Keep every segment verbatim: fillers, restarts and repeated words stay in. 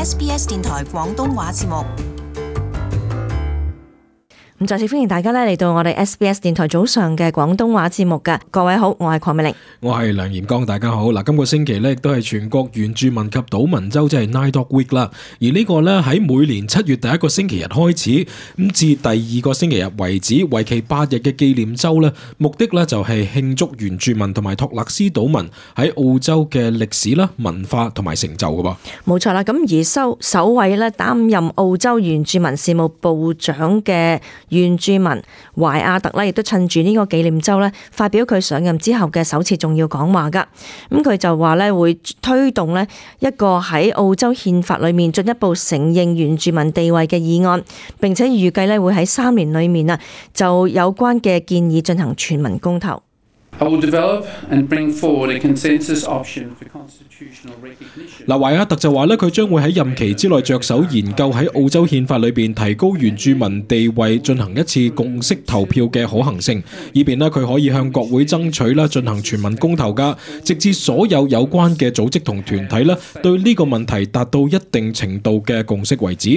S B S 電台廣東話節目。咁再次歡迎大家咧嚟到我哋 S B S 電台早上嘅廣東話節目㗎。各位好，我係鄺美玲，我係梁炎光，大家好。嗱，今個星期咧亦都係全國原住民及島民週，即係 Nine Dog Week 啦。而呢個咧喺每年七月第一個星期日開始，咁至第二個星期日為止，為期八日嘅紀念週咧，目的咧就係慶祝原住民同埋托勒斯島民喺澳洲嘅歷史啦、文化同埋成就㗎噃。冇錯啦，咁而首首位咧擔任澳洲原住民事務部長嘅原住民懷亞特咧，亦都趁住呢個紀念週咧，發表佢上任之後嘅首次重要講話噶。咁佢就話咧會推動咧一個喺澳洲憲法裏面進一步承認原住民地位嘅議案，並且預計咧會喺三年裏面啊就有關嘅建議進行全民公投。I will develop and bring forward a consensus option for constitutional recognition. 嗱，懷亞特就話咧，佢將會喺任期之內着手研究喺澳洲憲法裏邊提高原住民地位進行一次共識投票嘅可行性，以便咧佢可以向國會爭取啦進行全民公投噶，直至所有有關嘅組織同團體咧對呢個問題達到一定程度嘅共識為止。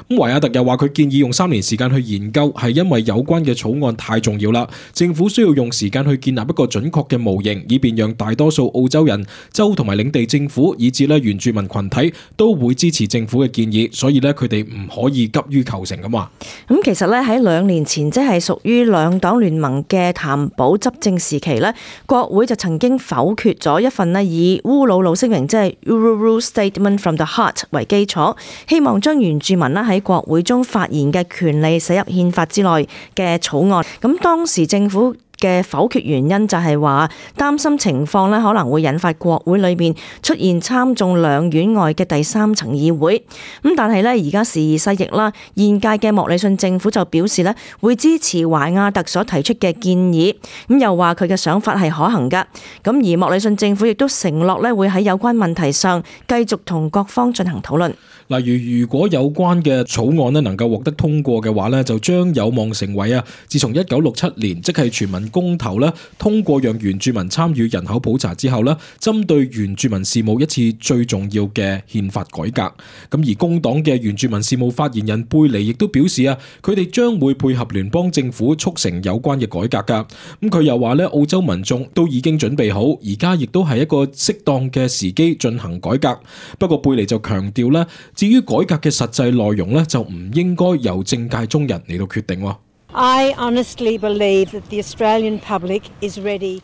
咁懷亞特又話佢建議用三年時間去研究，係因為有關嘅草案太重要啦，政府需要用時間去建立一個準確嘅模型，以便讓大多數澳洲人、州同埋領地政府，以至咧原住民群體都會支持政府嘅建議，所以咧佢哋唔可以急於求成咁話。咁其實咧喺兩年前，即係屬於兩黨聯盟嘅譚寶執政時期咧，國會就曾經否決咗一份咧以烏魯魯聲明，即係 Uluru Statement from the Heart 為基礎，希望將原住民咧喺國會中發言嘅權利寫入憲法之內嘅草案。咁當時政府嘅否決原因就係話擔心情況咧可能會引發國會裏面出現參眾兩院外嘅第三層議會。咁但係咧而家時移世易啦，現屆嘅莫里遜政府就表示咧會支持懷亞特所提出嘅建議，咁又話佢嘅想法係可行噶。咁而莫里遜政府亦都承諾咧會喺有關問題上繼續同各方進行討論。例如，如果有關嘅草案咧能夠獲得通過嘅話咧，就將有望成為啊，自從一九六七年即係全民公投咧通過讓原住民參與人口普查之後咧，針對原住民事務一次最重要嘅憲法改革。咁而工黨嘅原住民事務發言人貝尼亦都表示啊，佢哋將會配合聯邦政府促成有關嘅改革噶。咁佢又話咧，澳洲民眾都已經準備好，而家亦都係一個適當嘅時機進行改革。不過貝尼就強調咧，至於改革嘅實際內容咧，就唔應該由政界中人嚟到決定。I honestly believe that the Australian public is ready.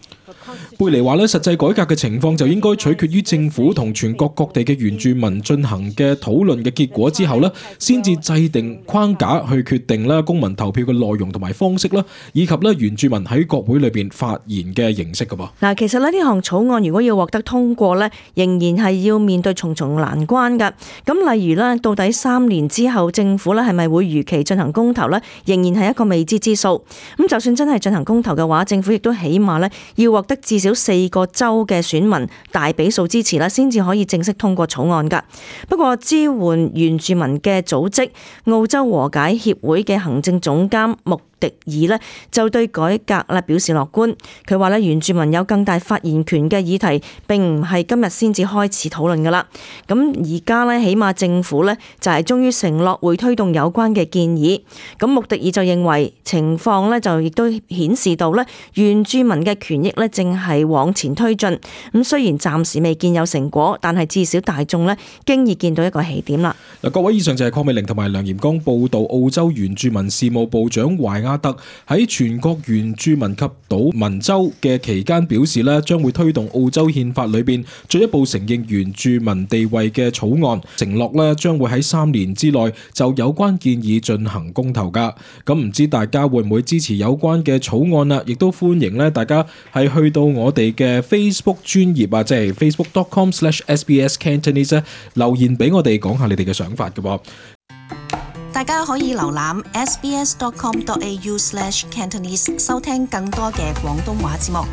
貝尼話咧，實際改革嘅情況就應該取決於政府同全國各地嘅原住民進行嘅討論嘅結果之後咧，先至制定框架去決定咧公民投票嘅內容同埋方式啦，以及咧原住民喺國會裏邊發言嘅形式噶噃。嗱，其實咧呢項草案如果要獲得通過咧，仍然係要面對重重難關噶。咁例如咧，到底三年之後政府咧係咪會如期進行公投咧，仍然係一個未知之數。咁就算真係進行公投嘅話，政府亦都起碼咧要獲得至少四個州嘅選民大比數支持啦，先至可以正式通過草案㗎。不過支援原住民嘅組織澳洲和解協會嘅行政總監穆迪爾呢就對改革咧表示樂觀。佢話咧原住民有更大發言權嘅議題並唔係今日先至開始討論㗎啦。咁而家咧起碼政府咧就係終於承諾會推動有關嘅建議。咁穆迪爾就認為情況咧就亦都顯示到咧原住民嘅權益咧正係往前推進。咁雖然暫時未見有成果，但係至少大眾咧經已見到一個起點啦。嗱，各位，以上就係鄺美玲同埋梁炎光報道澳洲原住民事務部長懷亞特喺全國原住民及島民週嘅期間表示咧，將會推動澳洲憲法裏邊進一步承認原住民地位嘅草案，承諾咧將會喺三年之內就有關建議進行公投噶。咁唔知大家會唔會支持有關嘅草案啊？亦都歡迎咧大家係去到我哋嘅 Facebook 專頁啊，即係 facebook dot com slash S B S Cantonese 留言俾我哋講下你哋嘅想法嘅噃。大家可以瀏覽 S B S dot com dot A U slash Cantonese 收聽更多嘅廣東話節目。